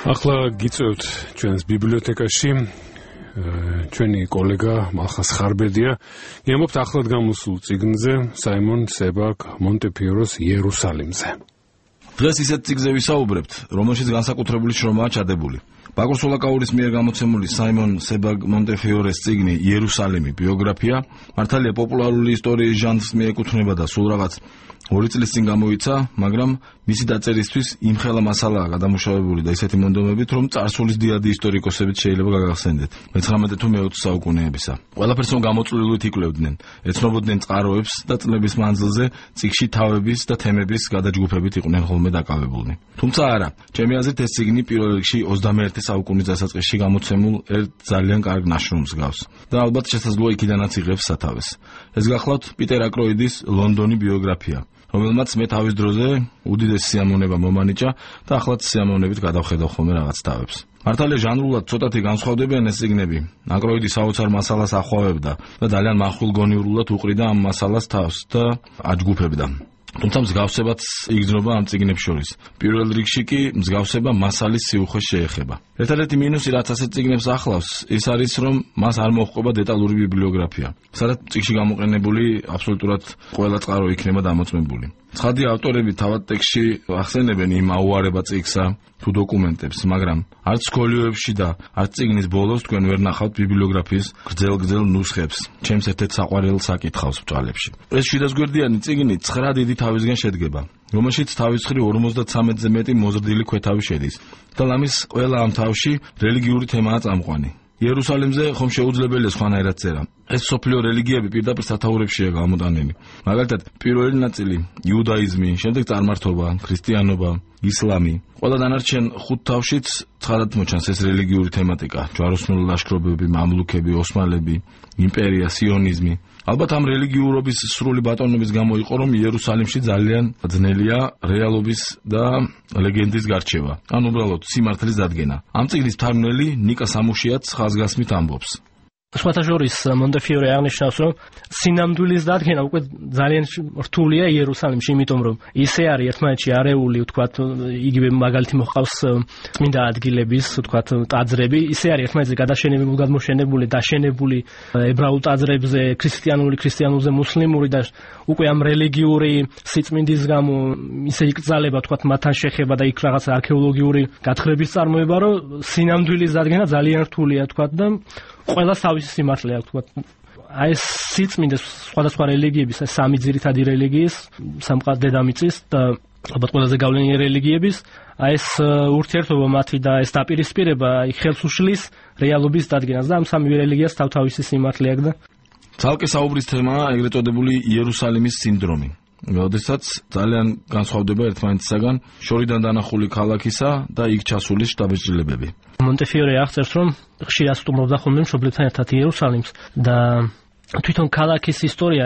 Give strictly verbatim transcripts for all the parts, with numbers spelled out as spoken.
ახლა გიწევთ ჩვენს ბიბლიოთეკაში ჩვენი კოლეგა მალხას ხარბედია გემობთ ახლად გამოსულ წიგნზე საიმონ себაგ მონტეფიოროს იერუსალიმზე. დღეს ისეთ წიგნზე ვისაუბრებთ, რომელშიც განსაკუთრებული შრომაა ჩადებული. ბაკურ სულაკაურის მიერ გამოცემული საიმონ себაგ მონტეფიორეს წიგნი იერუსალიმი ბიოგრაფია მართალია პოპულარული ისტორიის ჟანრს მიეკუთვნება და სულ რაღაც ორი წლის წინ გამოიცა, მაგრამ მისი დაწერისთვის იმხელა მასალაა გადამუშავებული და ისეთი მონდომებით, რომ წარსულის დიადი ისტორიკოსებით შეიძლება გაგახსენდეთ. მეცხრამეტე თუ მეოცე საუკუნეებისა. ყველაფერს რომ გამოწვლიულით იკვლევდნენ, ეცნობოდნენ წყაროებს და წლების მანძილზე წიგნში თავების და თემების გადაჯგუფებით იყვნენ ხოლმე დაკავებულნი. თუმცა არა, ჩემი აზრით ეს წიგნი პირველ რიგში ოცდამეერთე საუკუნის დასაწყისში გამოცემულ ერთ ძალიან კარგ ნაშრომს გავს და ალბათ შესაძლოა იქიდანაც იღებს სათავეს. ეს გახლავთ პიტერ აკროიდის ლონდონი ბიოგრაფია, რომელმაც მე თავის დროზე უდიდესი სიამოვნება მომანიჭა და ახლაც სიამოვნებით გადავხედავ ხოლმე რაღაც თავებს. მართალია ჟანრულად ცოტათი განსხვავდებიან ეს წიგნები. აკროიდი საოცარ მასალას ახავებდა და ძალიან მახვილგონიურულად უყრიდა ამ მასალას თავს და აჯგუფებდა. თუმცა მსგავსებაც იგრძნობა ამ წიგნებს შორის. პირველ რიგში კი მსგავსება მასალის სიუხვეს შეეხება. ერთადერთი მინუსი, რაც ასეთ წიგნებს ახლავს, ის არის, რომ მას არ მოჰყვება დეტალური ბიბლიოგრაფია, სადაც წიგნში გამოყენებული აბსოლუტურად ყველა წყარო იქნება დამოწმებული. ცხადია, ავტორები თავად ტექსტში ახსენებენ იმ აუარება წიგნსა თუ დოკუმენტებს, მაგრამ არც სკოლიოებში და არც წიგნის ბოლოს თქვენ ვერ ნახავთ ბიბლიოგრაფიის გრძელ-გრძელ ნუსხებს, ჩემს ერთ-ერთ საყვარელ საკითხავს ბჭალებში. ეს შვიდასგვერდიანი წიგნი ცხრა დიდი თავისგან შედგება, რომელშიც თავის მხრივ ორმოცდათრამეტზე მეტი მოზრდილი ქვეთავი შედის და ლამის ყველა ამ თავში რელიგიური თემაა წამყვანი. იერუსალიმზე ხომ შეუძლებელია სხვანაირად წერა. ეს სოფლიო რელიგიები პირდაპირ სათაურებშია გამოტანილი. მაგალითად, პირველი ნაწილი იუდაიზმი, შემდეგ წარმართობა, ქრისტიანობა, ისლამი. ყველა დანარჩენ ხუთ თავშიც ცხადად მოჩანს ეს რელიგიური თემატიკა: ჯვაროსნული ლაშქრობები, მამლუქები, ოსმალები, იმპერია, სიონიზმი. ალბათ ამ რელიგიურობის სრული ბატონობის გამო იყო, რომ იერუსალიმში ძალიან ძნელია რეალობის და ლეგენდის გარჩევა, ან უბრალოდ სიმართლის დადგენა. ამ წიგნის მთარგმნელი ნიკა სამუშიაც ხაზგასმით ამბობს. სხვათა შორის მონტეფიორე აღნიშნავს, რომ სინამდვილის დადგენა უკვე ძალიან რთულია იერუსალიმში, იმიტომ რომ ისე არის ერთმანეთში არეული, ვთქვათ, იგივე მაგალითი მოჰყავს წმინდა ადგილების, ვთქვათ, ტაძრები, ისე არის ერთმანეთზე გადაშენებული, გადმოშენებული, დაშენებული ებრაულ ტაძრებზე, ქრისტიანული, ქრისტიანულზე მუსლიმური და უკვე ამ რელიგიური სიწმინდის გამო ისე იკრძალება, ვთქვათ, მათთან შეხება და იქ რაღაც არქეოლოგიური გათხრების წარმოება, რომ სინამდვილის დადგენა ძალიან რთულია, ვთქვათ, და ყველა თავისი სიმართლე აქვს, ვთქვათ. აი ეს სიწმინდე სხვადასხვა რელიგიების, აი სამი ძირითადი რელიგიის, სამყარო დედამიწის და ალბათ ყველაზე გავლენიანი რელიგიების, აი ეს ურთიერთობა მათი და ეს დაპირისპირება აი ხელს უშლის რეალობის დადგენას და ამ სამი რელიგიას თავთავისი სიმართლე აქვს და ცალკე საუბრის თემაა ეგრეთ წოდებული იერუსალიმის სინდრომი. როდესაც ძალიან განსხვავდება ერთმანეთისაგან შორიდან დანახული ქალაქისა და იქ ჩასული შტაბ-ბიჭდილებები. მონტეფიორე აღწერს, რომ ხშირად სტუმრობდა ხოლმე მშობლებთან ერთად იერუსალიმს და თვითონ ქალაქის ისტორია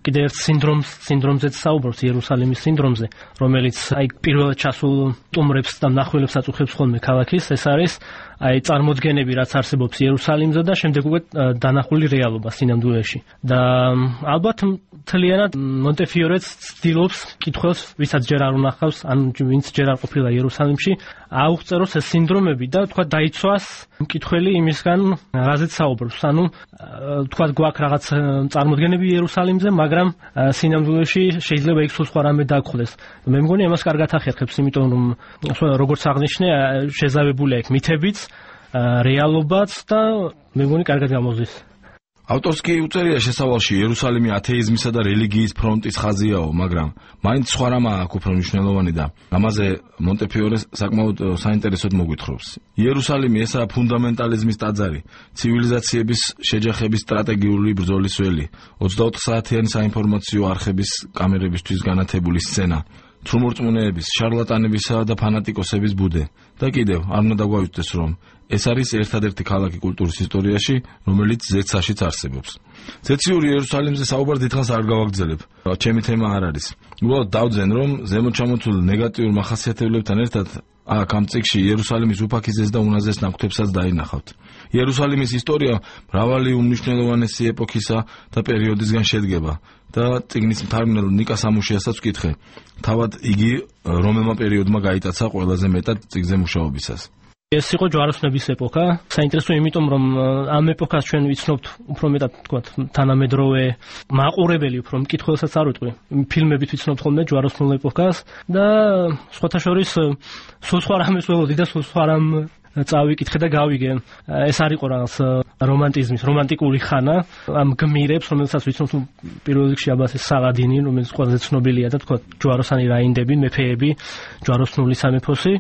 კიდევ ერთ სინდრომს, სინდრომზეც საუბრობს, იერუსალიმის სინდრომზე, რომელიც აი პირველად ჩასულ სტუმრებს და მნახველებს აწუხებს ხოლმე ქალაქის. ეს არის აი წარმოდგენები, რაც არსებობს იერუსალიმზე და შემდეგ უკვე დანახული რეალობა სინამდვილეში. და ალბათ მთლიანად მონტეფიორეც ცდილობს კითხვებს, ვისაც ჯერ არ უნახავს, ან ვინც ჯერ არ ყოფილა იერუსალიმში, აუღწეროს ეს სინდრომები და თქვა დაიცვას მკითხველი იმისგან, რაზეც საუბრობს. ანუ თქვა გვაქვს რაღაც წარმოდგენები იერუსალიმზე, მაგრამ სინამდვილეში შეიძლება იქ სულ სხვა რამე დაგხვდეს. მე მგონი ამას კარგად ახერხებს, იმიტომ რომ როგორც აღნიშნე, შეზავებულია იქ მითებიც, რეალობაც და მე მგონი კარგად გამოზის. ავტორს კი უწერია შესავალში იერუსალიმი ათეიზმისა და რელიგიის ფრონტის ხაზიაო, მაგრამ მაინც სხვა რამაა აქ უფრო მნიშვნელოვანი და ამაზე მონტეფიორე საკმაოდ საინტერესოდ მოგვითხრობს. იერუსალიმი ესაა ფუნდამენტალიზმის ტაძარი, ცივილიზაციების შეჯახების სტრატეგიული ბრძოლის ველი, ოცდაოთხ საათიანი საინფორმაციო არხების კამერებისთვის განათებული სცენა, თრუმორწმუნეების, შარლატანებისა და ფანატიკოსების ბუდე. და კიდევ არ უნდა დაგვაუწყდეს, რომ ეს არის ერთადერთი ქალაქი კულტურის ისტორიაში, რომელიც ზეცაშიც არსებობს. ზეციური იერუსალიმზე საუბარ დიდხანს არ გავაგრძელებ. ჩემი თემა არ არის. უბრალოდ დავძენ, რომ ზემოთ ჩამოთვლილ ნეგატიურ მახასიათებლებთან ერთად აქ ამ წიგნში იერუსალიმის უფაქიზეს და უნაზეს ნაკვთებსაც დაინახავთ. იერუსალიმის ისტორია მრავალი უმნიშვნელოვანესი ეპოქისა და პერიოდისგან შედგება და წიგნის მთარგმნელ ნიკა სამუშიასაც ვკითხე. თავად იგი რომელმა პერიოდმა გაიტაცა ყველაზე მეტად წიგნზე მუშაობისას. ეს იყო ჯვაროსნების ეპოქა. საინტერესო იმიტომ, რომ ამ ეპოქას ჩვენ ვიცნობთ უფრო მეტად, თქვათ, თანამედროვე მაყურებელი, უფრო მკითხველსაც არ ვიტყვი. ფილმებით ვიცნობთ ხოლმე ჯვაროსნულ ეპოქას და სხვათა შორის სულ სხვა რამეს ველოდი და სულ სხვა რამ წავიკითხე და გავიგე. ეს არ იყო რაღაც რომანტიზმის, რომანტიკული ხანა, ამ გმირებს, რომელსაც ვიცნობთ პირველ რიგში აბასე სალადინი, რომელიც ყველაზე ცნობილია და თქვა ჯვაროსანი რაინდები, მეფეები, ჯვაროსნული სამეფოსი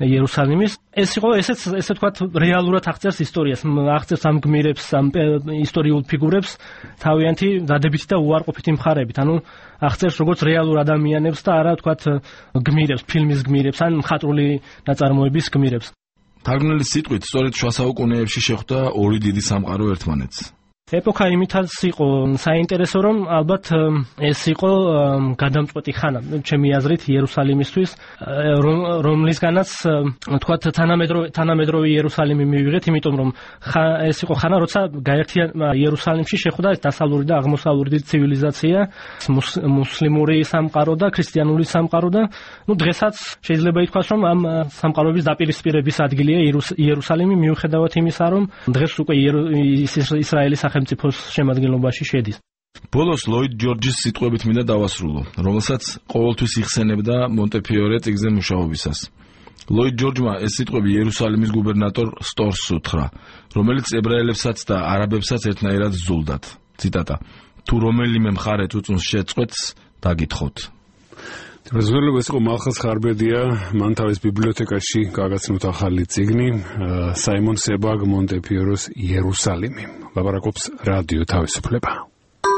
იერუსალიმის. ეს იყო ესეც ესე თქვა რეალურად აღწერს ისტორიას, აღწერს ამ გმირებს, ამ ისტორიულ ფიგურებს თავიანთი დადებითი და უარყოფითი მხარებით. ანუ აღწერს როგორც რეალურ ადამიანებს და არა თქვა გმირებს, ფილმის გმირებს ან მხატვრული ნაწარმოების გმირებს. თარგმნელის სიტყვით, სწორედ შუა საუკუნეებში შეხვდა ორი დიდი სამყარო ერთმანეთს. ეპოქა იმითაც იყო საინტერესო, რომ ალბათ ეს იყო გადამწყვეტი ხანა, ჩემი აზრით, იერუსალიმისთვის, რომლისგანაც თქვათ თანამედროვე თანამედროვე იერუსალიმი მივიღეთ, იმიტომ რომ ეს იყო ხანა, როცა გაერთიან იერუსალიმში შეხვდა დასავლური და აღმოსავლური ცივილიზაცია, მუსლიმური სამყარო და ქრისტიანული სამყარო და ნუ დღესაც შეიძლება ითქვას, რომ ამ სამყაროების დაპირისპირების ადგილია იერუსალიმი, მიუხედავად იმისა, რომ დღეს უკვე ისრაელის სახელმწიფოს შემადგენლობაში შედის. ბოლოს ლოიდ ჯორჯის სიტყვებით მინდა დავასრულო, რომელსაც ყოველთვის იხსენებდა მონტეფიორე წიგნზე მუშაობისას. ლოიდ ჯორჯმა ეს სიტყვები იერუსალიმის გუბერნატორ სტორს უთხრა, რომელიც ებრაელებსაც და არაბებსაც ერთნაირად ზულდათ. ციტატა: თუ რომელიმე მხარე წუწუნს შეწყვეტს, დაგითხოთ. როზველო ეს იყო მალხაზ ხარბედია, მან თავის ბიბლიოთეკაში გაგაცნოთ ახალი წიგნი, საიმონ სებაგ მონტეფიოროს იერუსალიმი. ლაპარაკობს რადიო თავისუფლება.